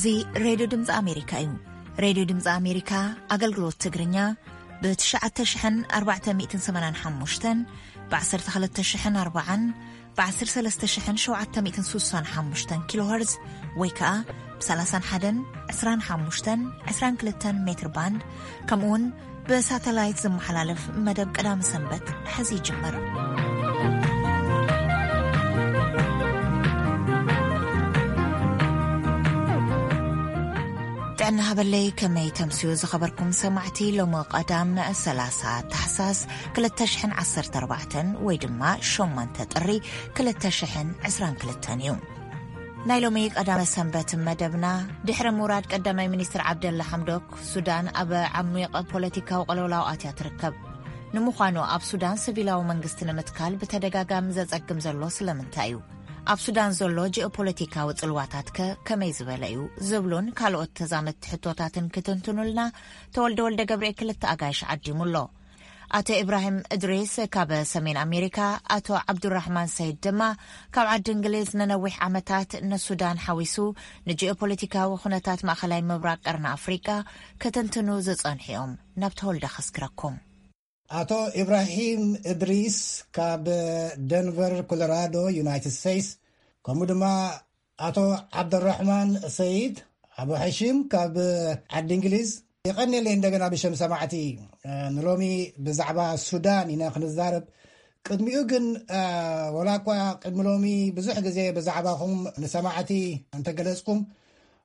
እዚ ሬድዮ ድምፂ ኣሜሪካ እዩ። ሬድዮ ድምፂ ኣሜሪካ ኣገልግሎት ትግርኛ ብ ትሽዓተ ሽሕን ኣርባዕተ ሚእትን ሰማንያን ሓሙሽተን፣ ብ ዓሰርተ ክልተ ሽሕን ኣርባዓን፣ ብ ዓሰርተ ሰለስተ ሽሕን ሸውዓተ ሚእትን ስሳን ሓሙሽተን ኪሎ ሄርዝ ወይ ከዓ ብ ሰላሳን ሓደን ዕስራን ሓሙሽተን ዕስራን ክልተን ሜትር ባንድ፣ ከምኡ እውን ብሳተላይት ዝመሓላለፍ መደብ ቀዳሚ ሰንበት ሕዚ ይጅምር። ጥዕና ሃበለይ፣ ከመይ ተምስዩ ዝኸበርኩም ሰማዕቲ? ሎሚ ቀዳም ሰላሳ ታሕሳስ ክልተ ሽሕን ዓሰርተ ኣርባዕተን ወይ ድማ ሸሞንተ ጥሪ ክልተ ሽሕን ዕስራን ክልተን እዩ። ናይ ሎሚ ቀዳመ ሰንበት መደብና፣ ድሕሪ ምውራድ ቀዳማይ ሚኒስትር ዓብደላ ሓምዶክ፣ ሱዳን ኣብ ዓሚቕ ፖለቲካዊ ቅልውላው ኣትያ ትርከብ። ንምዃኑ ኣብ ሱዳን ሲቪላዊ መንግስቲ ንምትካል ብተደጋጋሚ ዘጸግም ዘሎ ስለምንታይ እዩ? ኣብ ሱዳን ዘሎ ጂኦፖለቲካዊ ጽልዋታት ከ ከመይ ዝበለ እዩ? ዝብሉን ካልኦት ተዛመድቲ ሕቶታትን ክትንትኑልና ተወልደ ወልደ ገብርኤል ክልተ ኣጋይሽ ዓዲሙ ኣሎ። ኣቶ ኢብራሂም እድሪስ ካብ ሰሜን ኣሜሪካ፣ ኣቶ ዓብዱራሕማን ሰይድ ድማ ካብ ዓዲ እንግሊዝ ንነዊሕ ዓመታት ንሱዳን ሓዊሱ ንጂኦፖለቲካዊ ኩነታት ማእኸላይ ምብራቕ ቀርኒ ኣፍሪቃ ክትንትኑ ዝጸንሑ እዮም። ናብ ተወልደ ከስግረኩም። ኣቶ ኢብራሂም እድሪስ ካብ ደንቨር ኮሎራዶ ዩናይትድ ስቴትስ፣ ከምኡ ድማ ኣቶ ዓብደራሕማን ሰይድ ኣቡ ሕሺም ካብ ዓዲ እንግሊዝ፣ የቐንየለይ እንደገና ብሸም ሰማዕቲ። ንሎሚ ብዛዕባ ሱዳን ኢና ክንዛረብ። ቅድሚኡ ግን ወላ እኳ ቅድሚ ሎሚ ብዙሕ ግዜ ብዛዕባኹም ንሰማዕቲ እንተገለጽኩም፣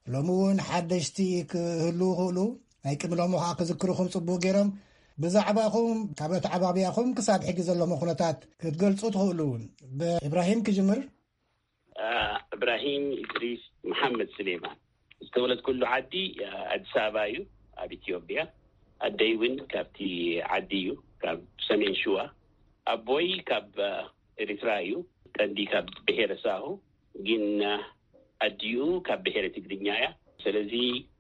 ሎሚ እውን ሓደሽቲ ክህልዉ ይኽእሉ፣ ናይ ቅድሚ ሎሚ ከዓ ክዝክርኹም ጽቡቕ ገይሮም። ብዛዕባኹም ካብ ኣተዓባብያኹም ክሳብ ሕጂ ዘለኹም ኩነታት ክትገልጹ ትኽእሉ እውን። ብእብራሂም ክጅምር። እብራሂም ኢድሪስ መሓመድ ስሌማን ዝተወለድኩሉ ዓዲ ኣዲስ ኣበባ እዩ፣ ኣብ ኢትዮጵያ። ኣደይ እውን ካብቲ ዓዲ እዩ፣ ካብ ሰሜን ሽዋ። ኣቦይ ካብ ኤርትራ እዩ፣ ቀንዲ ካብ ብሄረ ሳሆ፣ ግን ኣዲኡ ካብ ብሄረ ትግርኛ እያ። ስለዚ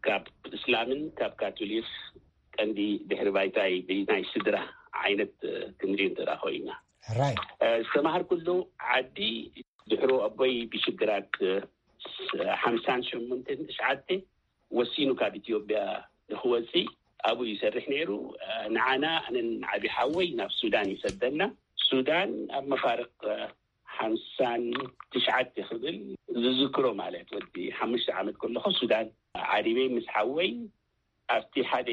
ካብ እስላምን ካብ ካቶሊክ ቀንዲ ድሕሪ ባይታይ ናይ ስድራ ዓይነት ክንርኢ እንተ ደኣ ኮይና። ሕራይ። ዝተማሃርኩሉ ዓዲ ድሕሮ ኣቦይ ብሽግራት ሓምሳን ሸሞንተን ትሽዓተ ወሲኑ ካብ ኢትዮጵያ ንክወፅእ ኣብኡ ይሰርሕ ነይሩ። ንዓና ኣነን ዓቢ ሓወይ ናብ ሱዳን ይሰደና። ሱዳን ኣብ መፋርቕ ሓምሳን ትሽዓተ ክብል ዝዝክሮ፣ ማለት ወዲ ሓሙሽተ ዓመት ከለኹ ሱዳን ዓሪበይ ምስ ሓወይ ኣብቲ ሓደ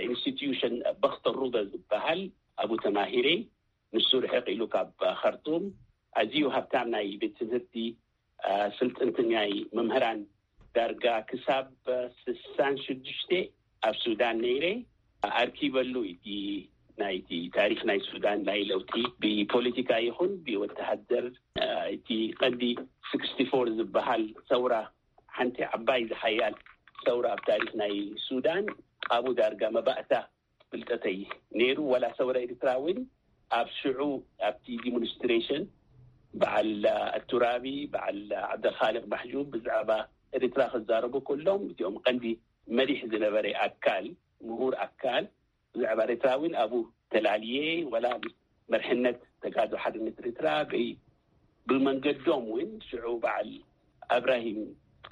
ኢንስቲትዩሽን በኽተ ሩበ ዝበሃል ኣብኡ ተማሂረ። ንሱ ርሕቕ ኢሉ ካብ ኸርቱም ኣዝዩ ሃብታም ናይ ቤት ትምህርቲ ስልጥንትን ናይ መምህራን ዳርጋ ክሳብ ስሳን ሽዱሽተ ኣብ ሱዳን ነይረ። ኣርኪበሉ እቲ ናይቲ ታሪኽ ናይ ሱዳን ናይ ለውጢ ብፖለቲካ ይኹን ብወተሃደር፣ እቲ ቀንዲ ስክስቲ ፎር ዝበሃል ሰውራ፣ ሓንቲ ዓባይ ዝሓያል ሰውራ ኣብ ታሪኽ ናይ ሱዳን፣ ኣብኡ ዳርጋ መባእታ ፍልጠተይ ነይሩ። ዋላ ሰውራ ኤርትራ እውን ኣብ ሽዑ ኣብቲ ዲሞንስትሬሽን በዓል ኣቱራቢ፣ በዓል ዓብደልኻልቅ ማሕጁብ ብዛዕባ ኤርትራ ክዛረቡ ከሎም፣ እቲኦም ቀንዲ መሪሕ ዝነበረ ኣካል፣ ምሁር ኣካል ብዛዕባ ኤርትራ እውን ኣብኡ ተላልየ። ዋላ ምስ መርሕነት ተጋድሎ ሓርነት ኤርትራ በይ ብመንገዶም እውን ሽዑ በዓል እብራሂም፣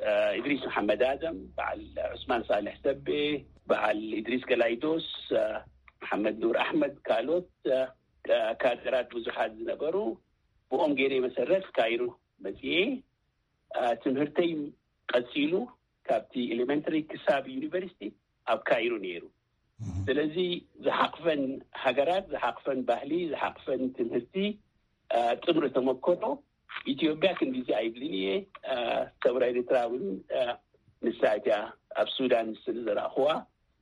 እ፣ እድሪስ መሓመድ ኣደም፣ በዓል ዑስማን ሳልሕ ሰቤ፣ በዓል እድሪስ ገላይዶስ፣ እ፣ መሓመድ ኑር ኣሕመድ፣ ካልኦት፣ እ፣ ካ-፣ ካድራት ብዙሓት ዝነበሩ፣ ብኦም ገይረ መሰረት ካይሮ መፅኤ፣ እ፣ ትምህርተይ ቀፂሉ ካብቲ ኤሌመንተሪ ክሳብ ዩኒቨርሲቲ ኣብ ካይሮ ነይሩ። እህ። ስለዚ ዝሓቕፈን ሃገራት፣ ዝሓቕፈን ባህሊ፣ ዝሓቕፈን ትምህርቲ፣ እ፣ ጥምሪ ተመክሮ ኢትዮጵያ ክንዲዚ ኣይብልን እየ። እ፣ ሰውራ ኤርትራ እውን፣ እ፣ ንሳ እቲኣ ኣብ ሱዳን ስለ ዘረኣኹዋ፣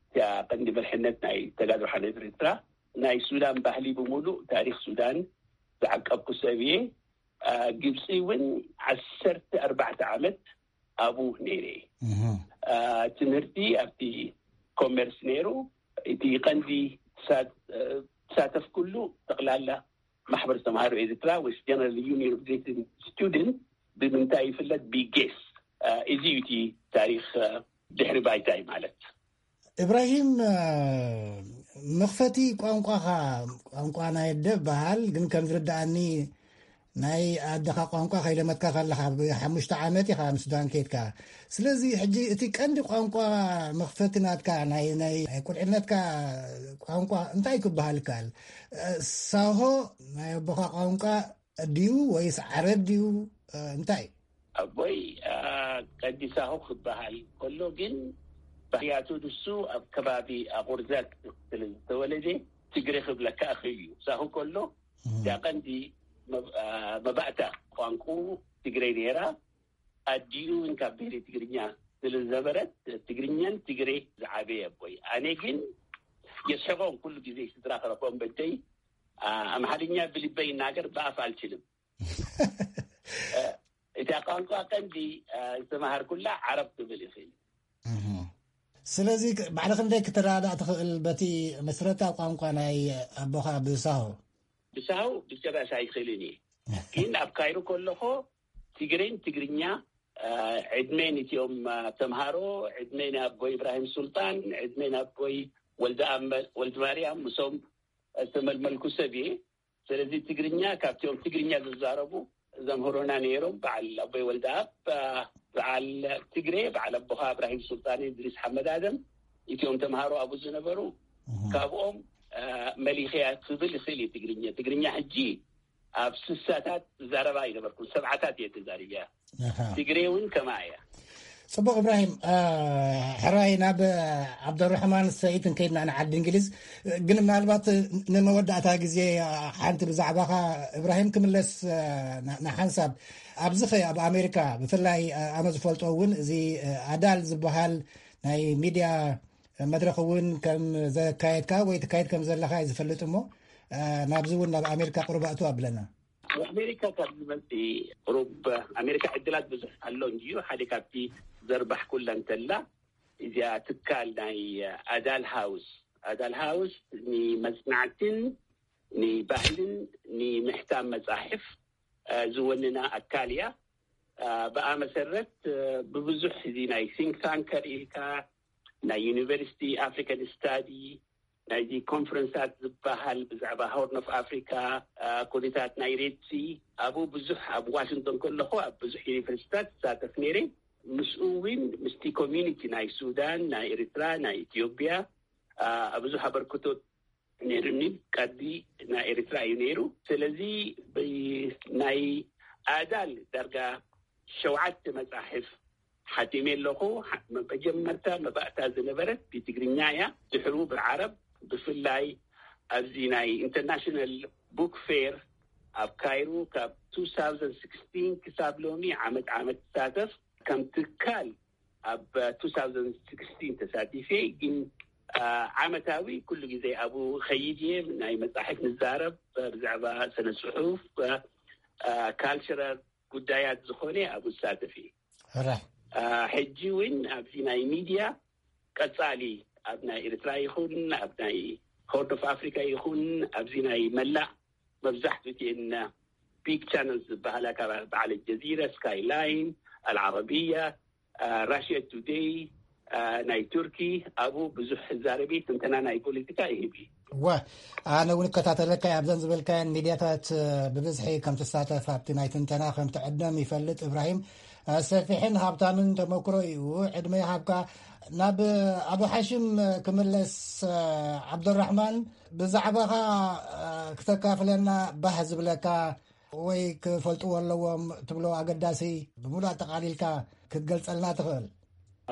እቲኣ ቀንዲ መርሕነት ናይ ተጋድሎ ሓርነት ኤርትራ፣ ናይ ሱዳን ባህሊ ብምሉእ ታሪኽ ሱዳን ዝዓቀብኩ ሰብ እየ። እ፣ ግብፂ እውን ዓሰርተ ኣርባዕተ ዓመት ኣብኡ ነይረ። እህ። እ፣ ትምህርቲ ኣብቲ ኮመርስ ነይሩ። እቲ ቀንዲ ትሳ-፣ እ፣ ትሳተፍኩሉ ጠቕላላ ማሕበር ተምሃሮ ኤርትራ ወይ ጀነራል ዩኒየን ኦፍ ግሬት ስቱደንት ብምንታይ ይፍለጥ? ቢጌስ። እ፣ እዚ እዩ እቲ ታሪኽ፣ እ፣ ድሕሪ ባይታይ ማለት። እብራሂም፣ እ፣ መኽፈቲ ቋንቋኻ፣ ቋንቋ ናይ ኣደ በሃል፣ ግን ከም ዝርድኣኒ ናይ ኣደኻ ቋንቋ ከይለመድካ ከለኻ፣ ብ ሓሙሽተ ዓመት ኢኻ ኣብ ሱዳን ከይድካ። ስለዚ ሕጂ እቲ ቀንዲ ቋንቋ መኽፈቲ ናትካ፣ ናይ፣ ናይ፣ ናይ ቁልዕነትካ ቋንቋ እንታይ ክበሃል ይከኣል? እ፣ ሳሆ ናይ ኣቦኻ ቋንቋ ድዩ ወይስ ዓረብ ድዩ? እ፣ እንታይ? ኣቦይ፣ እ፣ ቀንዲ ሳሆ ክበሃል ከሎ ግን፣ ባህርያቱ ንሱ ኣብ ከባቢ ኣቑርዘት ስለ ዝተወለደ ትግሬ ክብለካ እኽእል እዩ። ሳሆ ከሎ እዛ ቀንዲ መብ-፣ አ፣ መባእታ ቋንቁ ትግሬ ነይራ። ኣዲኡ እውን ካብ ብሄረ ትግርኛ ስለ ዝነበረት፣ ትግርኛን ትግሬ ዝዓበየ ኣቦይ። ኣነ ግን የስሕቖም፣ ኩሉ ግዜ ስድራ ክረኽቦም በደይ፣ አ፣ ኣምሓርኛ ብልበይ ይናገር፣ ብኣፍ ኣልችልም። አ፣ እታ ቋንቋ ቀንዲ፣ አ፣ ዝተማሃርኩላ ዓረብ ክብል ይኽእል። እህ። ስለዚ ክ-፣ ባዕልኽ ክንደይ ክትረዳዳእ ትኽእል በቲ መስረታ ቋንቋ ናይ ኣቦኻ ብሳሆ? ብሳሆ ብጭራሽ ኣይኽእልን እየ። ግን ኣብ ካይሮ ከለኹ ትግሬን ትግርኛ፣ አ፣ ዕድመ ንቲኦም፣ አ፣ ተምሃሮ፣ ዕድመ ንኣቦይ ኢብራሂም ሱልጣን፣ ዕድመ ንኣቦይ ወልደ ኣመ-፣ ወልደ ማርያም፣ ምሶም ዝተመልመልኩ ሰብ እየ። ስለዚ ትግርኛ ካብቲኦም ትግርኛ ዝዛረቡ ዘምህሮና ነይሮም። በዓል ኣቦይ ወልደ ኣብ፣ አ፣ በዓል ትግሬ፣ በዓል ኣቦኻ እብራሂም ሱልጣን፣ እድሪስ ሓመድ ኣደም፣ እቲኦም ተምሃሮ ኣብኡ ዝነበሩ፣ እህ። ካብኦም፣ አ፣ መሊኸያ ክብል ይኽእል እዩ ትግርኛ። ትግርኛ ሕጂ ኣብ ስሳታት ዝዛረባ ኣይነበርኩን፣ ሰብዓታት እየ ተዛሪበያ። ኣሃ። ትግሬ እውን ከማ እያ። ጽቡቕ እብራሂም፣ አ፣ ሕራይ ናብ ዓብደራሕማን ሰይድ እንከይድና ንዓዲ እንግሊዝ፣ ግን ምናልባት ንመወዳእታ ግዜ፣ አ፣ ሓንቲ ብዛዕባኻ እብራሂም ክምለስ፣ አ፣ ና-፣ ንሓንሳብ ኣብዚ ኸ ኣብ ኣሜሪካ ብፍላይ፣ አ፣ ኣነ ዝፈልጦ እውን እዚ፣ አ፣ ኣዳል ዝበሃል ናይ ሚድያ መድረኽ እውን ከም ዘካየድካ ወይ ትካየድ ከም ዘለኻ እዩ ዝፈልጥ እሞ፣ አ፣ ናብዚ እውን ናብ ኣሜሪካ ቁሩብ ኣእትው ኣብለና። ኣብ ኣሜሪካ ካብ ዝመጽእ ቁሩብ ኣሜሪካ ዕድላት ብዙሕ ኣሎ እንድዩ። ሓደ ካብቲ ዘርባሕኩላ እንተላ እዚኣ ትካል ናይ ኣዳል ሃውስ፣ ኣዳል ሃውስ ንመጽናዕትን ንባህልን ንምሕታም መጻሕፍ፣ አ፣ ዝወንና ኣካል እያ። አ፣ ብኣ መሰረት፣ አ፣ ብብዙሕ እዚ ናይ think tanker ኢልካ ናይ ዩኒቨርሲቲ ኣፍሪካን ስታዲ ናይዚ ኮንፈረንሳት ዝበሃል ብዛዕባ ሆርን ኦፍ ኣፍሪካ፣ አ፣ ኩነታት ናይ ሬድሲ ኣብኡ ብዙሕ ኣብ ዋሽንግቶን ከለኹ ኣብ ብዙሕ ዩኒቨርሲታት ዝሳተፍ ነይረ። ምስኡ እውን ምስቲ ኮሚኒቲ ናይ ሱዳን፣ ናይ ኤርትራ፣ ናይ ኢትዮጵያ፣ አ፣ ብዙሕ ኣበርክቶ ነይሩኒ። ቀዲ ናይ ኤርትራ እዩ ነይሩ። ስለዚ ብ-፣ ናይ ኣዳል ዳርጋ ሸውዓተ መጻሕፍ ሓቲመ ኣለኹ። ሓ-፣ መጀመርታ መባእታ ዝነበረት ብትግርኛ እያ። ድሕሩ ብዓረብ፣ ብፍላይ ኣብዚ ናይ ኢንተርናሽናል ቡክ ፌር ኣብ ካይሮ ካብ two thousand sixteen ክሳብ ሎሚ ዓመት ዓመት ትሳተፍ። ከም ትካል ኣብ two thousand sixteen ተሳቲፈ፣ ግን፣ አ፣ ዓመታዊ ኩሉ ግዜ ኣብኡ ኸይድ እየ። ናይ መጻሕፍ ንዛረብ፣ ብዛዕባ ስነ ጽሑፍ፣ አ፣ ካልቸራል ጉዳያት ዝኾነ ኣብኡ ዝሳተፍ እየ። ሕራይ። አ፣ ሕጂ እውን ኣብዚ ናይ ሚድያ ቀጻሊ ኣብ ናይ ኤርትራ ይኹን ኣብ ናይ ሆርን ኦፍ ኣፍሪካ ይኹን ኣብዚ ናይ መላእ መብዛሕትኡ እቲኤን ቢግ ቻነልስ ዝበሃላ ካብ በዓል ጀዚራ፣ ስካይላይን፣ ኣልዓረብያ፣ አ፣ ራሽያ ቱደይ፣ አ፣ ናይ ቱርኪ ኣብኡ ብዙሕ ዛረቢ ትንተና ናይ ፖለቲካ ይህብ እዩ። እወ፣ ኣነ እውን እከታተለካ እየ። ኣብዘን ዝበልካየን ሚድያታት፣ እ፣ ብብዝሒ ከም ትሳተፍ ኣብቲ ናይ ትንተና ከም ትዕደም ይፈልጥ። እብራሂም፣ እ፣ ሰፊሕን ሃብታምን ተመክሮ እዩ። ዕድመ ይሃብካ። ናብ ኣቡ ሓሽም ክምለስ፣ እ፣ ዓብደራሕማን፣ ብዛዕባኻ፣ እ፣ ክተካፍለና ባህ ዝብለካ ወይ ክፈልጥዎ ኣለዎም ትብሎ ኣገዳሲ ብሙሉእ ኣጠቓሊልካ ክትገልጸልና ትኽእል?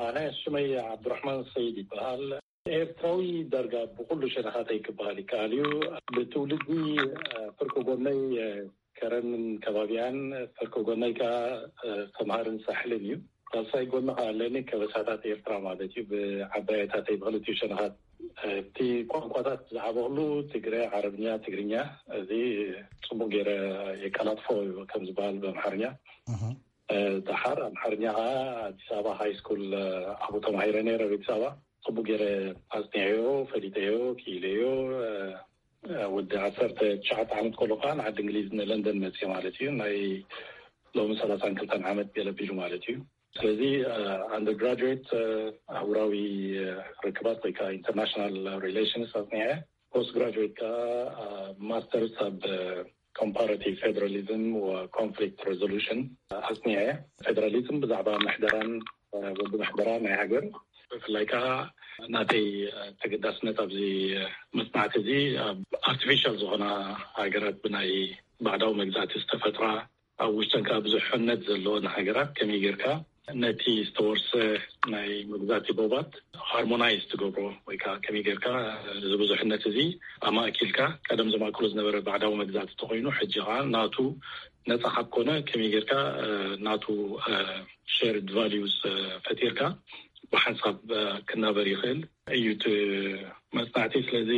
ኣነ ሽመይ ዓብዱራሕማን ሰይድ ይበሃል። ኤርትራዊ ዳርጋ ብኹሉ ሸነኻተይ ክበሃል ይከኣል እዩ። ብትውልዲ፣ እ፣ ፍርቂ ጎነይ፣ እ፣ ከረንን ከባቢኣን፣ ፍርቂ ጎነይ ከኣ፣ እ፣ ሰምሃርን ሳሕልን እዩ። ሳልሳይ ጎኒ ከኣ ኣለኒ፣ ከበሳታት ኤርትራ ማለት እዩ። ብዓባየታተይ ብኽልቲኡ ሸነኻት፣ እ፣ እቲ ቋንቋታት ዝዓበኹሉ ትግረ፣ ዓረብኛ፣ ትግርኛ፣ እዚ ጽቡቕ ገይረ የቀላጥፎ እዩ ከም ዝበሃል ብኣምሓርኛ። እህ። እ፣ ደሓር ኣምሓርኛ ኸዓ ኣዲስ ኣበባ ሃይ ስኩል፣ እ፣ ኣብኡ ተማሂረ ነይረ፣ ኣብ ኣዲስ ኣበባ። ጽቡቕ ገይረ ኣጽኒዐዮ፣ ፈሊጠዮ፣ ክኢለዮ። እ፣ እ፣ ወዲ ዓሰርተ ትሽዓተ ዓመት ከሎ ኸዓ ንዓዲ እንግሊዝ ንለንደን መጽየ ማለት እዩ። ናይ ሎሚ ሰላሳን ክልተን ዓመት ገለ ኣቢሉ ማለት እዩ። ስለዚ፣ እ፣ ኣንደር ግራጁዌት፣ እ፣ ኣህጉራዊ፣ እ፣ ርክባት ወይ ከዓ ኢንተርናሽናል ሪሌሽንስ ኣጽኒዐ። ፖስት ግራጁዌት ከኣ፣ አ፣ ማስተርስ ኣብ፣ አ፣ comparative federalism or conflict resolution ኣስኒዐ። ፌደራሊዝም ብዛዕባ ምሕደራን ወዲ ምሕደራ ናይ ሃገር፣ ብፍላይ ከዓ ናተይ ተገዳስነት ኣብዚ መፅናዕቲ እዚ ኣብ ኣርቲፊሻል ዝኾና ሃገራት፣ ብናይ ባዕዳዊ መግዛእቲ ዝተፈጥራ፣ ኣብ ውሽጠን ከዓ ብዙሕነት ዘለወን ሃገራት ከመይ ጌርካ ነቲ ዝተወርሰ ናይ መግዛእቲ ዶባት ሃርሞናይዝ ትገብሮ፣ ወይ ከዓ ከመይ ጌርካ እዚ ብዙሕነት እዚ ኣማእኪልካ፣ ቀደም ዘማእክሎ ዝነበረ ባዕዳዊ መግዛእቲ ተኮይኑ፣ ሕጂ ከዓ ናቱ ነፃ ካብ ኮነ ከመይ ጌርካ ናቱ ሸርድ ቫሊዩስ ፈጢርካ ብሓንሳብ ክናበር ይኽእል እዩ። እቲ መፅናዕቲ ስለዚ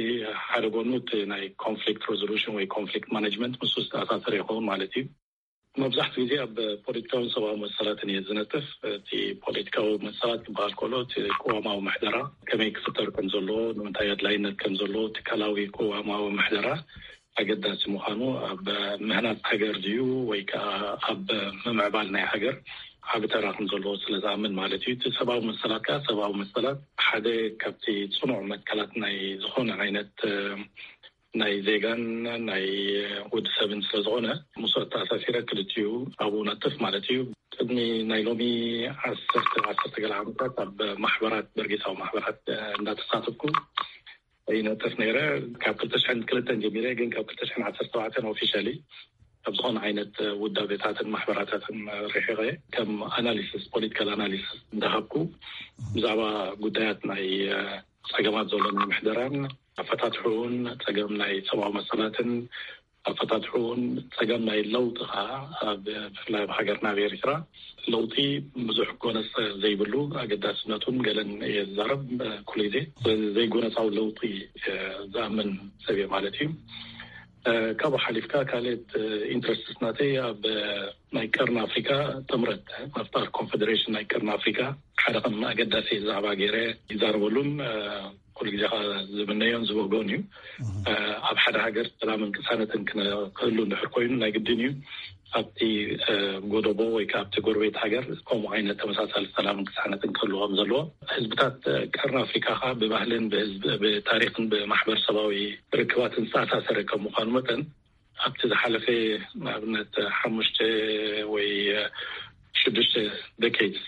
ሓደ ጎኑ እቲ ናይ ኮንፍሊክት ሬዞሉሽን ወይ ኮንፍሊክት ማኔጅመንት ምስ ዝተኣሳሰረ ይኸውን ማለት እዩ። መብዛሕትኡ ግዜ ኣብ ፖለቲካውን ሰብኣዊ መሰላትን እየ ዝነጥፍ። እቲ ፖለቲካዊ መሰላት ክበሃል ከሎ፣ እቲ ቅዋማዊ ምሕደራ ከመይ ክፍጠር ከም ዘለዎ፣ ንምንታይ ኣድላይነት ከም ዘለዎ፣ ትካላዊ ቅዋማዊ ምሕደራ ኣገዳሲ ምዃኑ፣ ኣብ ምህናፅ ሃገር ድዩ ወይ ከዓ ኣብ ምምዕባል ናይ ሃገር ዓቢ ተራ ከም ዘለዎ ስለ ዝኣምን ማለት እዩ። እቲ ሰብኣዊ መሰላት ከዓ፣ ሰብኣዊ መሰላት ሓደ ካብቲ ፅኑዕ መትከላት ናይ ዝኾነ ዓይነት ናይ ዜጋን ናይ ወዲ ሰብን ስለ ዝኾነ፣ ምስኡ ኣተኣሳሲረ ክልቲኡ ኣብኡ ነጥፍ ማለት እዩ። ቅድሚ ናይ ሎሚ ዓሰርተ ዓሰርተ ገለ ዓመታት ኣብ ማሕበራት፣ በርጌሳዊ ማሕበራት እንዳተሳተፍኩ ይነጥፍ ነይረ። ካብ ክልተ ሽሕን ክልተን ጀሚረ፣ ግን ካብ ክልተ ሽሕን ዓሰርተ ተባዕተን ኦፊሻሊ ካብ ዝኾነ ዓይነት ውዳቤታትን ማሕበራታትን ርሒቐ፣ ከም ኣናሊሲስ፣ ፖለቲካል ኣናሊሲስ እንዳሃብኩ፣ ብዛዕባ ጉዳያት ናይ ጸገማት ዘሎ ናይ ምሕደራን ኣፈታትሕኡን፣ ጸገም ናይ ሰብኣዊ መሰላትን ኣፈታትሕኡን፣ ጸገም ናይ ለውጢ ኸዓ፣ ኣብ ብፍላይ ኣብ ሃገርና ኣብ ኤርትራ ለውጢ ብዙሕ ጎነጽ ዘይብሉ ኣገዳስነቱን ገለን እየ ዝዛረብ ኩሉ ግዜ። ስለዚ ዘይጎነጻዊ ለውጢ ዝኣምን ሰብ እየ ማለት እዩ። ካብኡ ሓሊፍካ ካልኦት ኢንትረስትስ ናተይ ኣብ ናይ ቀርኒ ኣፍሪካ ጥምረት ምፍጣር፣ ኮንፌደሬሽን ናይ ቀርኒ ኣፍሪካ ሓደ ከም ኣገዳሲ ዛዕባ ገይረ ይዛረበሉን ኩሉ ግዜ ከዓ ዝምነዮን ዝብህጎን እዩ። ኣብ ሓደ ሃገር ሰላምን ቅሳነትን ክህሉ እንድሕር ኮይኑ ናይ ግድን እዩ ኣብቲ ጎደቦ ወይ ከዓ ኣብቲ ጎረቤት ሃገር ከምኡ ዓይነት ተመሳሳሊ ሰላምን ቅሳነትን ክህልዎም ዘለዎ። ህዝብታት ቀርኒ ኣፍሪካ ከዓ ብባህልን ብህዝብ ብታሪክን ብማሕበረሰባዊ ርክባትን ዝተኣሳሰረ ከም ምኳኑ መጠን ኣብቲ ዝሓለፈ ንኣብነት ሓሙሽተ ወይ ሽዱሽተ ደኬድስ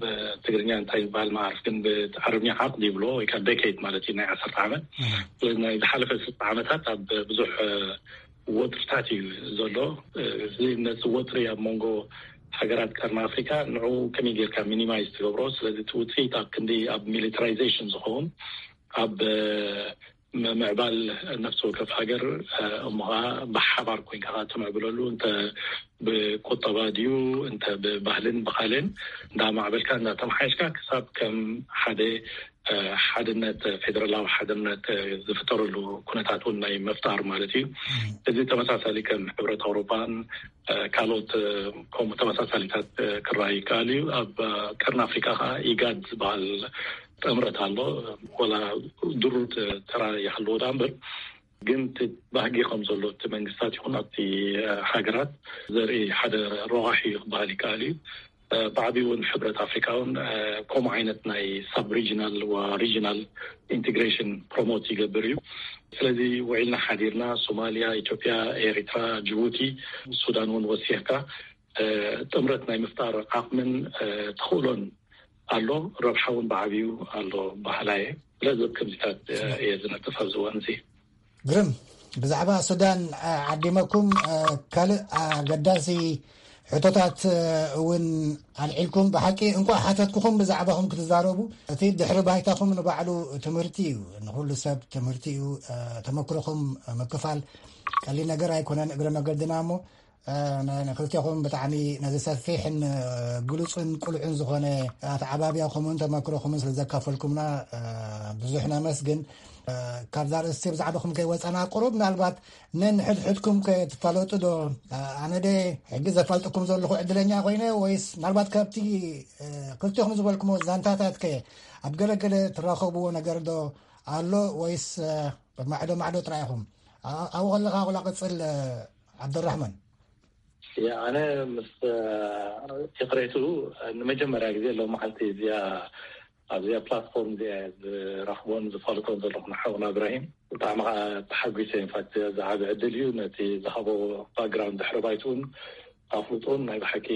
ብትግርኛ እንታይ ይበሃል መዓርፍ ግን ብዓረብኛ ዓቅድ ይብሎ ወይ ከዓ ደኬድ ማለት እዩ ናይ ዓሰርተ ዓመት። ስለዚ ናይ ዝሓለፈ ስልሳ ዓመታት ኣብ ብዙሕ ወጥርታት እዩ ዘሎ። እዚ ነዚ ወጥሪ ኣብ መንጎ ሃገራት ቀርኒ ኣፍሪካ ንዕኡ ከመይ ጌርካ ሚኒማይዝ ትገብሮ? ስለዚ እቲ ውፅኢት ኣብ ክንዲ ኣብ ሚሊታራይዜሽን ዝኸውን ኣብ ምምዕባል ነፍሲ ወከፍ ሃገር እሞ ኸዓ ብሓባር ኮይንካ ኸዓ ትምዕብለሉ እንተ ብቁጠባ ድዩ እንተ ብባህልን ብኻልን እንዳማዕበልካ እንዳተመሓየሽካ ክሳብ ከም ሓደ ሓድነት ፌደራላዊ ሓድነት ዝፍጠረሉ ኩነታት እውን ናይ መፍጣር ማለት እዩ። እዚ ተመሳሳሊ ከም ሕብረት ኣውሮፓን ካልኦት ከምኡ ተመሳሳሊታት ክረኣይ ይከኣል እዩ። ኣብ ቀርኒ ኣፍሪካ ከዓ ኢጋድ ዝበሃል ጥምረት ኣሎ። ወላ ድሩት ተራ ይሃልዎ ዳ እምበር ግን እቲ ባህጊ ከም ዘሎ እቲ መንግስታት ይኹን ኣብቲ ሃገራት ዘርኢ ሓደ ረቋሒ እዩ ክበሃል ይከኣል እዩ። ብዓብዩ እውን ሕብረት ኣፍሪካ እውን ከምኡ ዓይነት ናይ ሳብ ሪጂናል ወ ሪጂናል ኢንቴግሬሽን ፕሮሞት ይገብር እዩ። ስለዚ ውዒልና ሓዲርና ሶማሊያ፣ ኢትዮጵያ፣ ኤሪትራ፣ ጅቡቲ፣ ሱዳን እውን ወሲኽካ ጥምረት ናይ ምፍጣር ዓቕምን ተኽእሎን ኣሎ። ረብሓ እውን ብዓብዩ ኣሎ በሃላይ እየ። ስለዚ ከምዚታት እየ ዝነጥፍ ኣብዚ እዋን እዚ። ግርም። ብዛዕባ ሱዳን ዓዲመኩም ካልእ ኣገዳሲ ሕቶታት እውን ኣልዒልኩም። ብሓቂ እንኳዕ ሓተትኩኹም ብዛዕባኹም ክትዛረቡ። እቲ ድሕሪ ባይታኹም ንባዕሉ ትምህርቲ እዩ፣ ንኹሉ ሰብ ትምህርቲ እዩ። ተመክሮኹም ምክፋል ቀሊል ነገር ኣይኮነን። እግረ መገድና እሞ ንክልቴኹም ብጣዕሚ ነዚ ሰፊሕን ግሉፅን ቁልዕን ዝኾነ ኣተዓባብያኹምን ተመክሮኹምን ስለ ዘካፈልኩምና ብዙሕ ነመስግን። ካብዛ ርእስቲ ብዛዕባኹም ከይወፀና ቁሩብ ምናልባት ነንሕድሕድኩም ከትፋለጡ ዶ? ኣነ ደ ሕጂ ዘፋልጥኩም ዘለኹ ዕድለኛ ኮይነ ወይስ ምናልባት ካብቲ ክልቴኹም ዝበልኩሞ ዛንታታት ከ ኣብ ገለገለ ትራኸብዎ ነገር ዶ ኣሎ ወይስ ማዕዶ ማዕዶ ጥራይ ኢኹም? ኣብኡ ከለኻ ኩላ ቅፅል ዓብደራሕማን። ኣነ ምስ ይቕሬቱ ንመጀመርያ ግዜ ሎም መዓልቲ እዚኣ ኣብዚኣ ፕላትፎርም እዚኣ ዝረኽቦን ዝፈልጦን ዘለኹ ንሓውና እብራሂም ብጣዕሚ ከዓ ተሓጒሰ። ኢንፋክት ዝዓቢ ዕድል እዩ። ነቲ ዝሃቦ ባክግራውንድ ድሕሪ ባይትኡን ኣፍልጦን ናይ ብሓቂ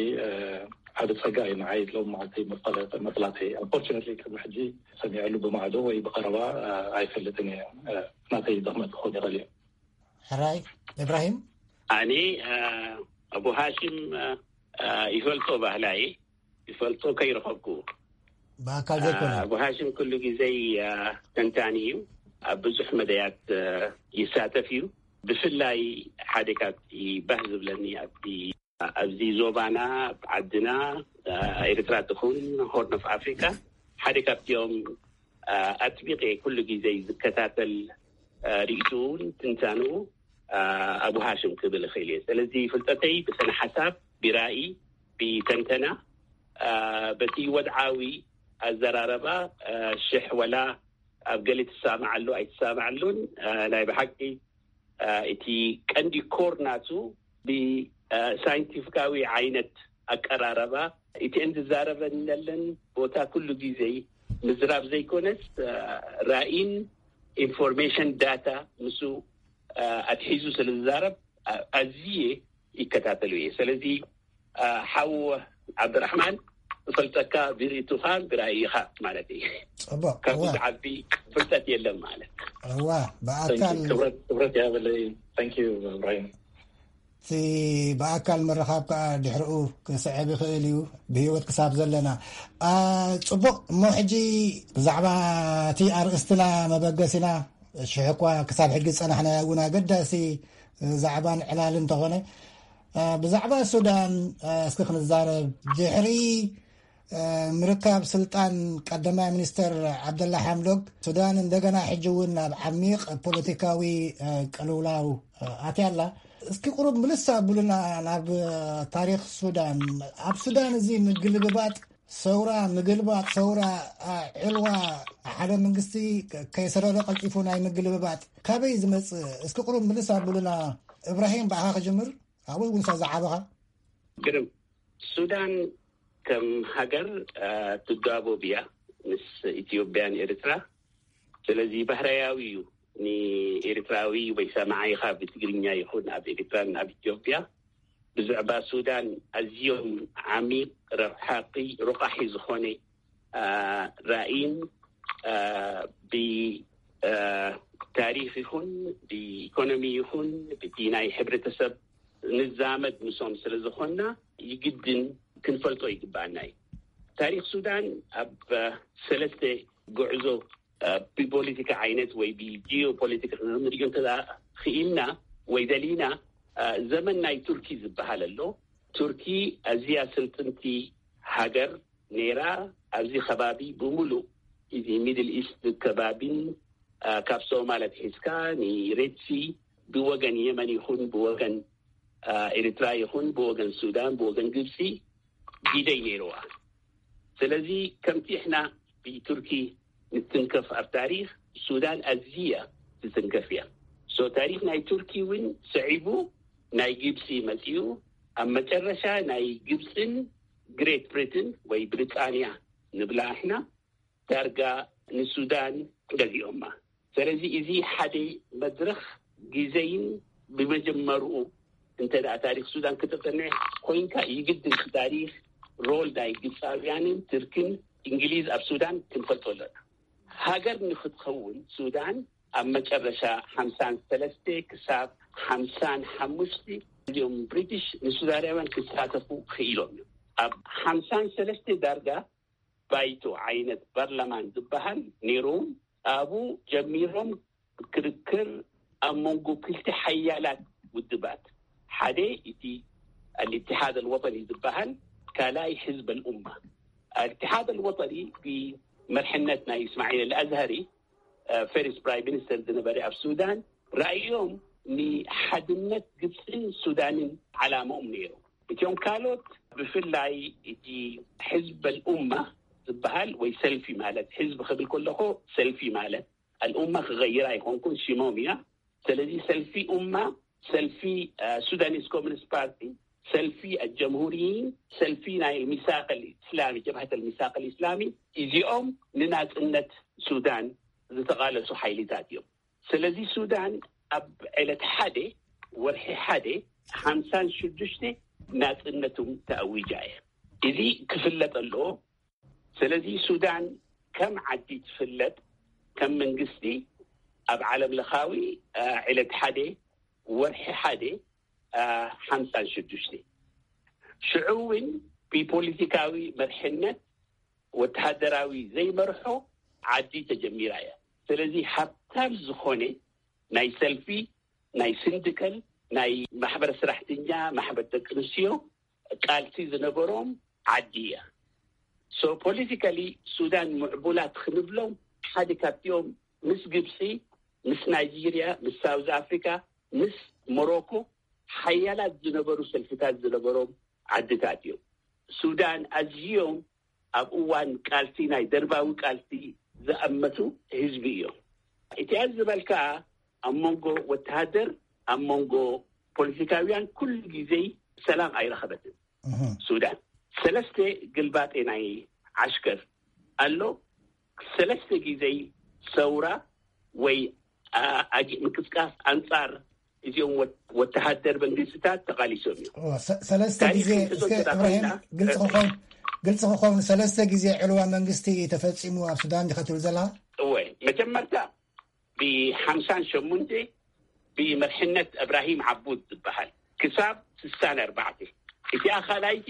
ዓቢ ጸጋ እዩ ንዓይ። ሎም መዓልቲ መፈለጠ መፍላተይ ኣንፎርቹነትሊ ቅድሚ ሕጂ ሰሚዐሉ ብማዕዶ ወይ ብቐረባ ኣይፈልጥን እየ። ናተይ ድኽመት ክኸውን ይኽእል እዩ። ሕራይ እብራሂም። ኣነ ኣቡ ሃሽም ይፈልጦ ባህላይ ይፈልጦ ከይረኸብኩ ብኣካል ዘይኮነ። ኣቡ ሃሽም ኩሉ ግዜይ ተንታኒ እዩ። ኣብ ብዙሕ መደያት ይሳተፍ እዩ። ብፍላይ ሓደ ካብቲ ባህ ዝብለኒ ኣብቲ ኣብዚ ዞባና ዓድና ኤርትራ ትኹን ሆርን ኦፍ ኣፍሪካ ሓደ ካብቲኦም ኣጥቢቀ ኩሉ ግዜ ዝከታተል ርእይትኡን ትንታንኡ ኣቡ ሃሽም ክብል እኽእል እየ። ስለዚ ፍልጠተይ ብስነ ሓሳብ፣ ብራእይ፣ ብተንተና፣ በቲ ወድዓዊ ኣዘራረባ ሽሕ ወላ ኣብ ገሊ ትሰማዓሉ ኣይትሰማዓሉን ናይ ብሓቂ እቲ ቀንዲ ኮር ናቱ ብሳይንቲፊካዊ ዓይነት ኣቀራረባ እቲ እንዝዛረበነለን ቦታ ኩሉ ግዜ ምዝራብ ዘይኮነስ ራእይን ኢንፎርሜሽን ዳታ ምስ ኣትሒዙ ስለ ዝዛረብ ኣዝየ ይከታተሎ እየ። ስለዚ ሓው ዓብድራሕማን እፈልጠካ ብርእይትኻን ብራእይኻን ማለት እዩ። ጽቡቅ። ካብኡ ዝዓቢ ፍልጠት የለን ማለት። እዋ ብኣካል ክብረት ይሃበለይ። Thank you እብራሂም። እቲ ብኣካል ምርኻብ ከዓ ድሕርኡ ክስዕብ ይኽእል እዩ ብህይወት ክሳብ ዘለና። ጽቡቕ እሞ ሕጂ ብዛዕባ እቲ ኣርእስትና መበገሲና ሽሕ እኳ ክሳብ ሕጂ ዝጸናሕናዮ እውን ኣገዳሲ ዛዕባን ዕላል እንተኾነ ብዛዕባ ሱዳን እስኪ ክንዛረብ። ድሕሪ ምርካብ ስልጣን ቀዳማይ ሚኒስተር ዓብደላ ሓምዶክ ሱዳን እንደገና ሕጂ እውን ናብ ዓሚቕ ፖለቲካዊ ቅልውላው ኣትያ ኣላ። እስኪ ቁሩብ ምልስ ኣብሉና ናብ ታሪኽ ሱዳን። ኣብ ሱዳን እዚ ምግልብባጥ ሰውራ ምግልባጥ ሰውራ ዕልዋ ሓደ መንግስቲ ከይሰረረ ቀልጢፉ ናይ ምግልብባጥ ካበይ ዝመጽእ? እስኪ ቁሩብ ምልስ ኣብሉና። እብራሂም ብኣኻ ክጅምር። ኣብኡ እውን ዝዓበኻ ግርም ሱዳን ከም ሃገር ትጋቦብ እያ ምስ ኢትዮጵያን ኤርትራ። ስለዚ ባህርያዊ እዩ ንኤርትራዊ ወይ ሰማዓይኻ ብትግርኛ ይኹን ኣብ ኤርትራን ኣብ ኢትዮጵያ ብዛዕባ ሱዳን ኣዝዮም ዓሚቕ ረብሓቂ ሮቃሒ ዝኾነ ራእይን ብታሪኽ ይኹን ብኢኮኖሚ ይኹን ብቲ ናይ ሕብረተሰብ ንዛመድ ምሶም ስለ ዝኾንና ይግድን ክንፈልጦ ይግባኣና እዩ። ታሪኽ ሱዳን ኣብ ሰለስተ ጉዕዞ ብፖለቲካ ዓይነት ወይ ብጂኦፖለቲካ ክንሪኦ እንተ ክኢልና ወይ ደሊና ዘመን ናይ ቱርኪ ዝበሃል ኣሎ። ቱርኪ ኣዝያ ስልጥንቲ ሃገር ነይራ። ኣብዚ ከባቢ ብምሉእ እዚ ሚድል ኢስት ከባቢን ካብ ሶማል ኣትሒዝካ ንሬድሲ ብወገን የመን ይኹን ብወገን ኤርትራ ይኹን ብወገን ሱዳን ብወገን ግብፂ ግደይ ነይርዋ። ስለዚ ከምቲ ሕና ብቱርኪ ንትንከፍ ኣብ ታሪኽ ሱዳን ኣዝያ ትትንከፍ እያ። ሶ ታሪኽ ናይ ቱርኪ እውን ሰዒቡ ናይ ግብፂ መፂኡ ኣብ መጨረሻ ናይ ግብፅን ግሬት ብሪትን ወይ ብሪጣንያ ንብላ ኣሕና ዳርጋ ንሱዳን ገዚኦማ። ስለዚ እዚ ሓደ መድረኽ ግዜይን ብመጀመርኡ እንተ ደኣ ታሪኽ ሱዳን ክተጠንዕ ኮይንካ ይግድን ታሪኽ ሮል ናይ ግብፃውያንን ትርክን እንግሊዝ ኣብ ሱዳን ክንፈልጦ ኣለና። ሃገር ንክትኸውን ሱዳን ኣብ መጨረሻ ሓምሳን ሰለስተ ክሳብ ሓምሳን ሓሙሽተ እዚኦም ብሪቲሽ ንሱዳናውያን ክሳተፉ ክኢሎም እዮም። ኣብ ሓምሳን ሰለስተ ዳርጋ ባይቶ ዓይነት ፓርላማን ዝበሃል ነይሮም። ኣብኡ ጀሚሮም ክርክር ኣብ መንጎ ክልተ ሓያላት ውድባት ሓደ እቲ ኣልኢትሓድ ኣልወጠኒ ዝበሃል ካልኣይ ሕዝብ ኣልኡማ። ኣልኢትሓድ ኣልወጠኒ ብመርሕነት ናይ እስማዒል ኣልኣዝሃሪ ፈርስት ፕራይም ሚኒስተር ዝነበረ ኣብ ሱዳን ራእዮም ንሓድነት ግብፅን ሱዳንን ዓላምኦም ነይሩ። እቲኦም ካልኦት ብፍላይ እቲ ሕዝብ ኣልኡማ ዝበሃል ወይ ሰልፊ ማለት ሕዝቢ ክብል ከለኹ ሰልፊ ማለት ኣልኡማ ክቐይራ ኣይኮንኩን ሽሞም እያ። ስለዚ ሰልፊ ኡማ ሰልፊ ሱዳኒስ ኮሚኒስት ፓርቲ ሰልፊ ኣልጀምሁሪይን ሰልፊ ናይ ሚሳቅ ኣልእስላሚ፣ ጀብሃት ኣልሚሳቅ ኣልእስላሚ፣ እዚኦም ንናጽነት ሱዳን ዝተቓለሱ ሓይልታት እዮም። ስለዚ ሱዳን ኣብ ዕለት ሓደ ወርሒ ሓደ ሓምሳን ሽዱሽተ ናጽነቶም ተኣዊጃ እያ። እዚ ክፍለጥ ኣለዎ። ስለዚ ሱዳን ከም ዓዲ ትፍለጥ፣ ከም መንግስቲ ኣብ ዓለም ለኻዊ ዕለት ሓደ ወርሒ ሓደ ሓምሳን ሽዱሽተ ሽዑ እውን ብፖለቲካዊ መርሕነት ወተሃደራዊ ዘይመርሖ ዓዲ ተጀሚራ እያ። ስለዚ ሃብታም ዝኾነ ናይ ሰልፊ፣ ናይ ስንድከል፣ ናይ ማሕበር ስራሕተኛ፣ ማሕበር ደቂ ኣንስትዮ ቃልሲ ዝነበሮም ዓዲ እያ። ሶ ፖለቲካሊ ሱዳን ምዕቡላት ክንብሎም ሓደ ካብቲኦም ምስ ግብፂ፣ ምስ ናይጄርያ፣ ምስ ሳውዝ ኣፍሪካ፣ ምስ ሞሮኮ ሓያላት ዝነበሩ ሰልፍታት ዝነበሮም ዓድታት እዮም። ሱዳን ኣዝዮም ኣብ እዋን ቃልሲ፣ ናይ ደርባዊ ቃልሲ ዝኣመቱ ህዝቢ እዮም። እቲ ዝበልካ ኣብ መንጎ ወተሃደር፣ ኣብ መንጎ ፖለቲካውያን ኩሉ ግዜ ሰላም ኣይረኸበትን። ሱዳን ሰለስተ ግልባጤ ናይ ዓሽከር ኣሎ። ሰለስተ ግዜ ሰውራ ወይ ኣጊ ምቅስቃስ ኣንጻር እዚኦም ወተሃደር መንግስትታት ተቃሊሶም እዮም። ሰለስተ ግዜ እስከ እብራሂም ግልፂ ክኸውን፣ ግልፂ ክኸውን፣ ሰለስተ ግዜ ዕልዋ መንግስቲ ተፈፂሙ ኣብ ሱዳን ዲኸ ትብል ዘላ? እወ፣ መጀመርታ ብሓምሳን ሸሙንተ ብመርሕነት እብራሂም ዓቡድ ዝበሃል ክሳብ ስሳን ኣርባዕተ። እቲኣ ካልኣይቲ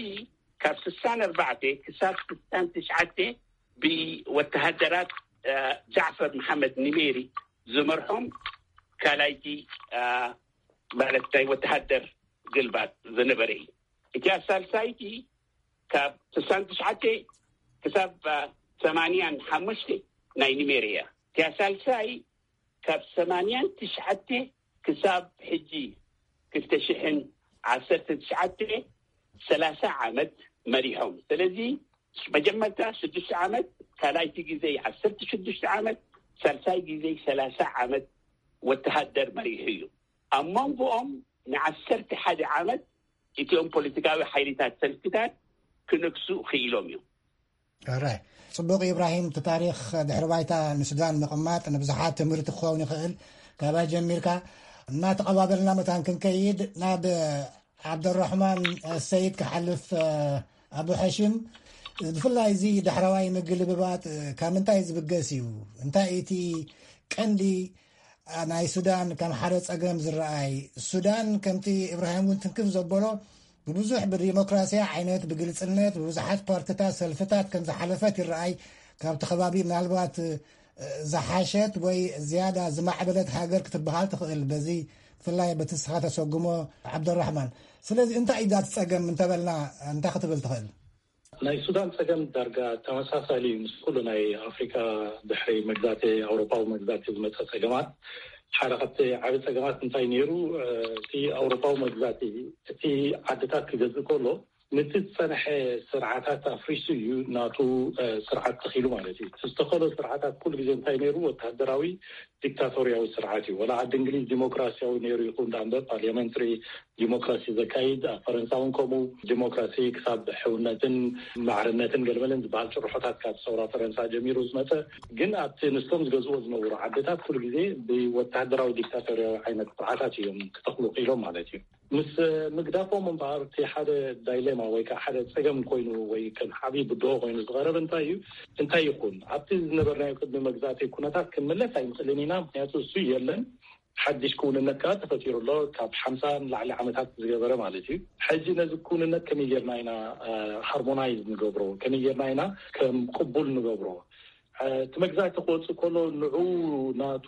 ካብ ስሳን ኣርባዕተ ክሳብ ስሳን ትሽዓተ ብወተሃደራት ጃዕፈር መሓመድ ኒሜሪ ዝመርሖም ካልኣይቲ ማለት ናይ ወተሃደር ግልባጥ ዝነበረ እዩ። እቲኣ ሳልሳይቲ ካብ ስሳን ትሽዓተ ክሳብ ሰማንያን ሓሙሽተ ናይ ኒሜሪ እያ። እቲኣ ሳልሳይ ካብ ሰማንያን ትሽዓተ ክሳብ ሕጂ ክልተ ሽሕን ዓሰርተ ትሽዓተ ሰላሳ ዓመት መሪሖም። ስለዚ መጀመርታ ሽዱሽተ ዓመት፣ ካልኣይቲ ግዜ ዓሰርተ ሽዱሽተ ዓመት፣ ሳልሳይ ግዜ ሰላሳ ዓመት ወተሃደር መሪሑ እዩ። ኣብ መንጎኦም ንዓሰርተ ሓደ ዓመት እቲኦም ፖለቲካዊ ሓይልታት ሰልፍታት ክነግሱ ክኢሎም እዮም። ራይ ጽቡቕ ኢብራሂም፣ እቲ ታሪኽ ድሕሪ ባይታ ንሱዳን ምቕማጥ ንብዙሓት ትምህርቲ ክኸውን ይኽእል። ካባይ ጀሚርካ እናተቐባበልና መታን ክንከይድ ናብ ዓብደራሕማን ሰይድ ክሓልፍ። ኣቡ ሓሽም፣ ብፍላይ እዚ ዳሕረዋይ ምግልብባጥ ካብ ምንታይ ዝብገስ እዩ? እንታይ እቲ ቀንዲ ናይ ሱዳን ከም ሓደ ጸገም ዝረኣይ? ሱዳን ከምቲ ኢብራሂም እውን ትንክፍ ዘበሎ ብብዙሕ ብዲሞክራሲያ ዓይነት ብግልጽነት ብብዙሓት ፓርትታት ሰልፍታት ከም ዝሓለፈት ይረኣይ። ካብቲ ከባቢ ምናልባት ዝሓሸት ወይ ዝያዳ ዝማዕበለት ሃገር ክትበሃል ትኽእል፣ በዚ ብፍላይ በቲ ንስኻ ተሰጉሞ ዓብደራሕማን። ስለዚ እንታይ እዩ ዳቲ ጸገም እንተበልና እንታይ ክትብል ትኽእል? ናይ ሱዳን ጸገም ዳርጋ ተመሳሳሊ እዩ ምስ ኩሉ ናይ ኣፍሪካ ድሕሪ መግዛእቲ ኣውሮፓዊ መግዛእቲ ዝመጸ ጸገማት። ሓደ ካብቲ ዓቢ ጸገማት እንታይ ነይሩ? እቲ ኣውሮፓዊ መግዛእቲ እቲ ዓድታት ክገዝእ ከሎ ነቲ ዝጸንሐ ስርዓታት ኣፍሪሱ እዩ ናቱ ስርዓት ተኺሉ ማለት እዩ። ዝተኸሎ ስርዓታት ኩሉ ግዜ እንታይ ነይሩ? ወተሃደራዊ ዲክታቶርያዊ ስርዓት እዩ። ወላ ዓዲ እንግሊዝ ዲሞክራሲያዊ ነይሩ ይኹን ዳኣ እምበር ፓርሊያመንትሪ ዲሞክራሲ ዘካይድ፣ ኣብ ፈረንሳ እውን ከምኡ ዲሞክራሲ ክሳብ ሕውነትን ማዕርነትን ገለመለን ዝበሃል ጭርሖታት ካብ ሰውራ ፈረንሳ ጀሚሩ ዝመፀ፣ ግን ኣብቲ ንሶም ዝገዝዎ ዝነበሩ ዓድታት ኩሉ ግዜ ብወተሃደራዊ ዲክታቶርያዊ ዓይነት ስርዓታት እዮም ክተኽሉ ክኢሎም ማለት እዩ። ምስ ምግዳፎም እምበኣር እቲ ሓደ ዳይሌማ ወይ ከዓ ሓደ ፀገም ኮይኑ ወይ ከም ዓብዪ ብድሆ ኮይኑ ዝቐረብ እንታይ እዩ? እንታይ ይኹን ኣብቲ ዝነበርናዮ ቅድሚ መግዛእቲ ኩነታት ክንምለስ ኣይንኽእልን ኢና። ምክንያቱ እሱ የለን፣ ሓድሽ ክውንነት ከዓ ተፈጢሩ ኣሎ። ካብ ሓምሳ ንላዕሊ ዓመታት ዝገበረ ማለት እዩ። ሕጂ ነዚ ክውንነት ከመይ ጌርና ኢና ሃርሞናይዝ ንገብሮ? ከመይ ጌርና ኢና ከም ቅቡል ንገብሮ? እቲ መግዛእቲ ክወፅእ ከሎ ንዑ ናቱ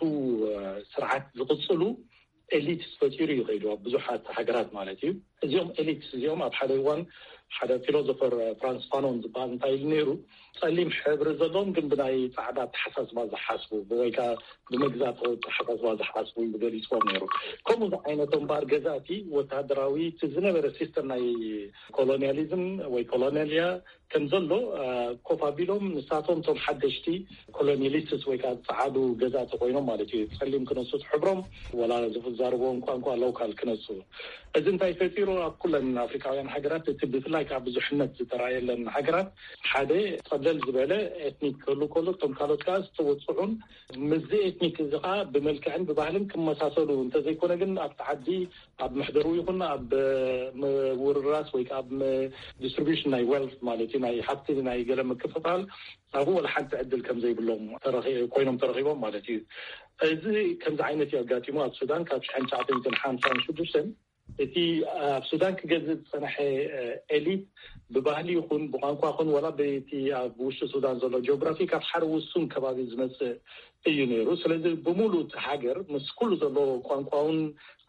ስርዓት ዝቕፅሉ ኤሊትስ ፈጢሩ እዩ ከይዱ ኣብ ብዙሓት ሃገራት ማለት እዩ። እዚኦም ኤሊትስ እዚኦም ኣብ ሓደ እዋን ሓደ ፊሎዞፈር ፍራንስ ፋኖን ዝበሃል እንታይ ኢሉ ነይሩ? ጸሊም ሕብሪ ዘለዎም ግን ብናይ ጻዕዳ ኣተሓሳስባ ዝሓስቡ ወይ ከዓ ብመግዛእቲ ኣተሓሳስባ ዝሓስቡ ኢሉ ገሊፅዎም ነይሩ። ከምኡ ዝዓይነቶም እምበኣር ገዛእቲ ወታደራዊ እቲ ዝነበረ ሲስተም ናይ ኮሎኒያሊዝም ወይ ኮሎኒያልያ ከም ዘሎ ኮፍ ኣቢሎም ንሳቶም እቶም ሓደሽቲ ኮሎኒያሊስትስ ወይ ከዓ ጸዓዱ ገዛእቲ ኮይኖም ማለት እዩ። ጸሊም ክነሱ ሕብሮም ወላ ዝዛረብዎም ቋንቋ ሎካል ክነሱ። እዚ እንታይ ፈጢሩ? ኣብ ኩለን ኣፍሪካውያን ሃገራት እቲ ብፍላይ ከዓ ብዙሕነት ዝተረኣየለን ሃገራት ሓደ ጸብለል ዝበለ ኤትኒክ ክህሉ ከሎ እቶም ካልኦት ከዓ ዝተወፅዑን ምስዚ ኤትኒክ እዚ ከዓ ብመልክዕን ብባህልን ክመሳሰሉ እንተዘይኮነ ግን ኣብቲ ዓዲ ኣብ መሕደሩ ይኹን ኣብ ምውርራስ ወይ ከዓ ኣብ ዲስትሪቢሽን ናይ ዌልት ማለት እዩ ናይ ሃብቲ ናይ ገለ ምክፍፋል ኣብኡ ወላ ሓንቲ ዕድል ከም ዘይብሎም ተረኺ- ኮይኖም ተረኺቦም ማለት እዩ። እዚ ከምዚ ዓይነት እዩ ኣጋጢሙ ኣብ ሱዳን ካብ ሽሕን ትሽዓተ ሚእትን ሓምሳን ሽዱሽተን እቲ ኣብ ሱዳን ክገዝእ ዝጸንሐ ኤሊት ብባህሊ ይኹን ብቋንቋ ይኹን ወላ በቲ ኣብ ውሽጢ ሱዳን ዘሎ ጂኦግራፊ ካብ ሓደ ውሱን ከባቢ ዝመጽእ እዩ ነይሩ። ስለዚ ብሙሉ እቲ ሃገር ምስ ኩሉ ዘሎ ቋንቋውን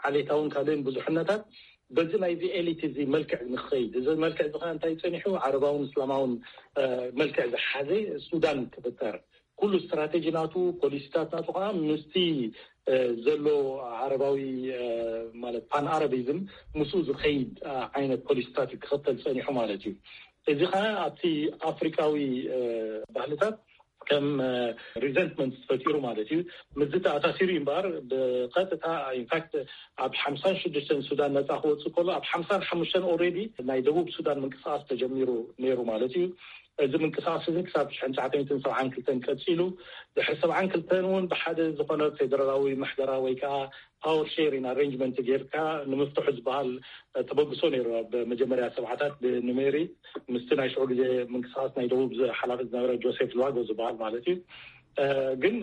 ዓሌታውን ካልእን ብዙሕነታት በዚ ናይዚ ኤሊት እዚ መልክዕ ንክኸይድ እዚ መልክዕ እዚ ከዓ እንታይ ጸኒሑ ዓረባውን እስላማውን መልክዕ ዝሓዘ ሱዳን ክፍጠር ኩሉ ስትራቴጂ ናቱ ፖሊሲታት ናቱ ከዓ ምስቲ ዘሎ ዓረባዊ ማለት ፓን ኣረቢዝም ምስኡ ዝኸይድ ዓይነት ፖሊሲታት እዩ ክኽተል ጸኒሑ ማለት እዩ። እዚ ከዓ ኣብቲ ኣፍሪካዊ ባህልታት ከም ሪዘንትመንት ተፈጢሩ ማለት እዩ። ምስዚ ተኣሳሲሩ እዩ እምበኣር ብቀጥታ ኢንፋክት ኣብ ሓምሳን ሽዱሽተን ሱዳን ነፃ ክወፅእ ከሎ ኣብ ሓምሳን ሓሙሽተን ኦልሬዲ ናይ ደቡብ ሱዳን ምንቅስቃስ ተጀሚሩ ነይሩ ማለት እዩ። እዚ ምንቅስቃስ እዚ ክሳብ ሽሕን ትሽዓተ ሚእትን ሰብዓን ክልተን ቀፂሉ ድሕሪ ሰብዓን ክልተን እውን ብሓደ ዝኾነ ፌደራላዊ ምሕደራ ወይ ከዓ ፓወር ሼሪን ኣሬንጅመንት ጌርካ ንምፍትሑ ዝበሃል ተበግሶ ነይሩ ኣብ መጀመርያ ሰብዓታት ብኑሜሪ ምስቲ ናይ ሽዑ ግዜ ምንቅስቃስ ናይ ደቡብ ሓላፊ ዝነበረ ጆሴፍ ሉዋጎ ዝበሃል ማለት እዩ። ግን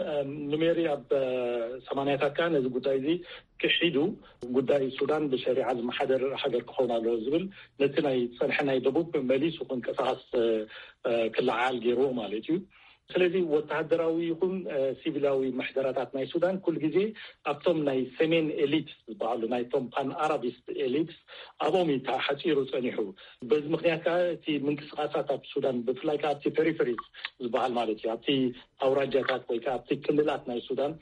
ኑሜሪ ኣብ ሰማንያታት ከዓ ነዚ ጉዳይ እዚ ክሒዱ ጉዳይ ሱዳን ብሸሪዓ ዝመሓደር ሃገር ክኸውን ኣለዎ ዝብል ነቲ ናይ ዝፀንሐ ናይ ደቡብ መሊሱ ክንቀሳቀስ ክለዓል ገይርዎ ማለት እዩ። ስለዚ ወተሃደራዊ ይኹን ሲቪላዊ ምሕደራታት ናይ ሱዳን ኩሉ ግዜ ኣብቶም ናይ ሰሜን ኤሊት ዝበሃሉ ናይቶም ፓን ኣራቢስት ኤሊት ኣብኦም እዩ ተሓፂሩ ፀኒሑ። በዚ ምክንያት ከዓ እቲ ምንቅስቃሳት ኣብ ሱዳን ብፍላይ ከዓ ኣብቲ ፔሪፈሪስ ዝበሃል ማለት እዩ ኣብቲ ኣውራጃታት ወይ ከዓ ኣብቲ ክልላት ናይ ሱዳን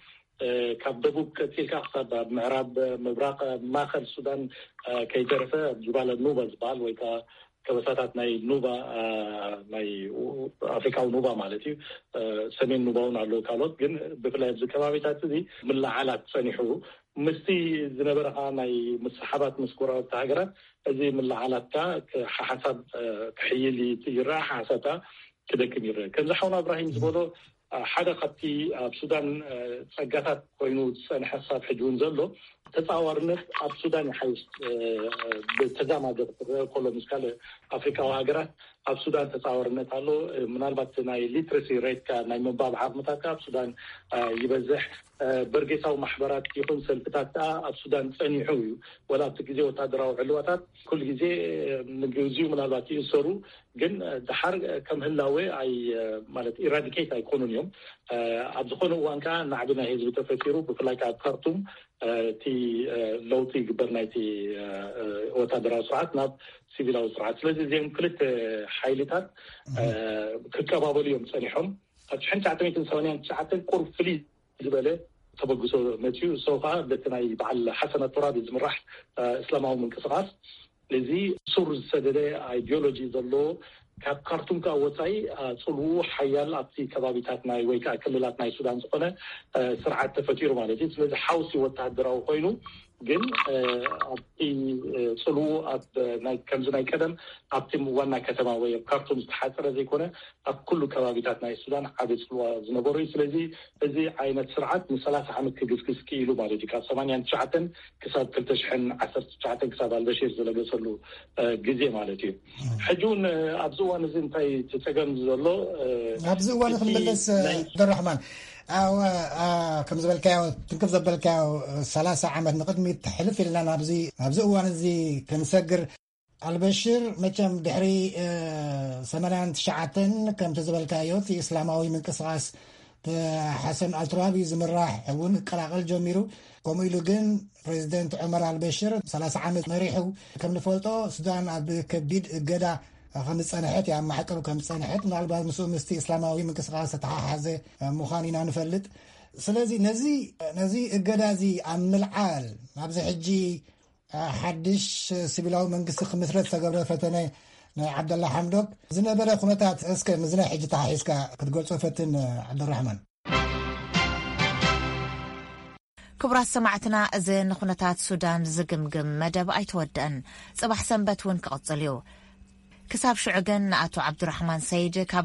ካብ ደቡብ ቀፂልካ ክሳብ ኣብ ምዕራብ ምብራቅ ማእከል ሱዳን ከይተረፈ ጅባለ ኑባ ዝበሃል ወይ ከዓ ከበሳታት ናይ ኑባ ናይ ኣፍሪካዊ ኑባ ማለት እዩ ሰሜን ኑባ እውን ኣለዉ ካልኦት ግን ብፍላይ ኣብዚ ከባቢታት እዚ ምለዓላት ፀኒሑ ምስቲ ዝነበረ ከዓ ናይ ምስሓባት ምስ ጎረባብቲ ሃገራት እዚ ምለዓላት ከዓ ሓሓሳብ ክሕይል ይረኣ ሓሓሳብ ከዓ ክደክም ይረአ ከምዚ ሓውና እብራሂም ዝበሎ ሓደ ካብቲ ኣብ ሱዳን ፀጋታት ኮይኑ ዝፀንሐ ክሳብ ሕጂ እውን ዘሎ ተፃዋርነት ኣብ ሱዳን ይሓይሽ ብተዛማደ ክትረአ ከሎ ምስ ካልእ ኣፍሪካዊ ሃገራት ኣብ ሱዳን ተፃዋርነት ኣሎ። ምናልባት ናይ ሊትረሲ ሬትካ ናይ ምንባብ ዓቕምታትካ ኣብ ሱዳን ይበዝሕ። በርጌሳዊ ማሕበራት ይኹን ሰልፍታት ከዓ ኣብ ሱዳን ፀኒሑ እዩ። ወላ ኣብቲ ግዜ ወታደራዊ ዕልዋታት ኩሉ ግዜ ንግዚኡ ምናልባት ይእሰሩ ግን ድሓር ከም ህላወ ኣይ ማለት ኢራዲኬት ኣይኮኑን እዮም። ኣብ ዝኾነ እዋን ከዓ ናዕቢ ናይ ህዝቢ ተፈጢሩ ብፍላይ ከዓ ኣብ ካርቱም እቲ ለውጢ ይግበር ናይቲ ወታደራዊ ስርዓት ናብ ሲቪላዊ ስርዓት ስለዚ እዚኦም ክልተ ሓይልታት ክቀባበሉ እዮም ፀኒሖም። ካብ ሽሕን ትሽዓተ ሚእትን ሰማንያን ትሽዓተን ቁሩብ ፍልይ ዝበለ ተበግሶ መፅኡ እሶ ከዓ በቲ ናይ በዓል ሓሰን ኣቱራቢ ዝምራሕ እስላማዊ ምንቅስቃስ እዚ ሱር ዝሰደደ ኣይዲዮሎጂ ዘለዎ ካብ ካርቱም ከዓ ወፃኢ ፅልውኡ ሓያል ኣብቲ ከባቢታት ናይ ወይ ከዓ ክልላት ናይ ሱዳን ዝኾነ ስርዓት ተፈጢሩ ማለት እዩ። ስለዚ ሓውሲ ወተሃደራዊ ኮይኑ ግን ኣብቲ ፅልውኡ ኣብ ከምዚ ናይ ቀደም ኣብቲ ዋና ከተማ ወይ ኣብ ካርቱም ዝተሓፀረ ዘይኮነ ኣብ ኩሉ ከባቢታት ናይ ሱዳን ዓብ ፅልዋ ዝነበሩ እዩ። ስለዚ እዚ ዓይነት ስርዓት ንሰላሳ ዓመት ክግስግስ ክኢሉ ማለት እዩ። ካብ ሰማንያን ትሽዓተን ክሳብ ክልተ ሽሕን ዓሰርተ ትሽዓተን ክሳብ ኣልበሽር ዝለገሰሉ ግዜ ማለት እዩ። ሕጂ እውን ኣብዚ እዋን እዚ እንታይ እቲ ፀገም ዘሎ ኣብዚ እዋን ክንመለስ ደራሕማን ከም ዝበልካዮ ትንክፍ ዘበልካዮ ሰላሳ ዓመት ንቕድሚት ሕልፍ ኢልና ናብዚ ኣብዚ እዋን እዚ ክንሰግር ኣልበሽር መቸም ድሕሪ ሰማንያን ትሽዓተን ከምቲ ዝበልካዮ እቲ እስላማዊ ምንቅስቃስ ብሓሰን ኣልትራቢ ዝምራሕ እውን ክቀላቐል ጀሚሩ። ከምኡ ኢሉ ግን ፕሬዚደንት ዑመር ኣልበሽር ሰላሳ ዓመት መሪሑ። ከም ንፈልጦ፣ ሱዳን ኣብ ከቢድ እገዳ ከም ዝጸንሐት፣ ኣብ ማዕቀብ ከም ዝጸንሐት፣ ምናልባት ምስኡ ምስቲ እስላማዊ ምንቅስቃስ ዝተሓሓዘ ምዃን ኢና ንፈልጥ። ስለዚ ነዚ፣ ነዚ እገዳ እዚ ኣብ ምልዓል፣ ኣብዚ ሕጂ ሓድሽ ሲቪላዊ መንግስቲ ክምስረት ዝተገብረ ፈተነ ናይ ዓብደላ ሓምዶክ ዝነበረ ኩነታት፣ እስከ ምስዚ ናይ ሕጂ ተሓሒዝካ ክትገልጾ ፈትን፣ ዓብደራሕማን። ክቡራት ሰማዕትና፣ እዚ ንኩነታት ሱዳን ዝግምግም መደብ ኣይተወደአን። ጽባሕ ሰንበት እውን ክቕጽል እዩ። ክሳብ ሽዑ ግን ንኣቶ ዓብዱራሕማን ሰይድ ካብ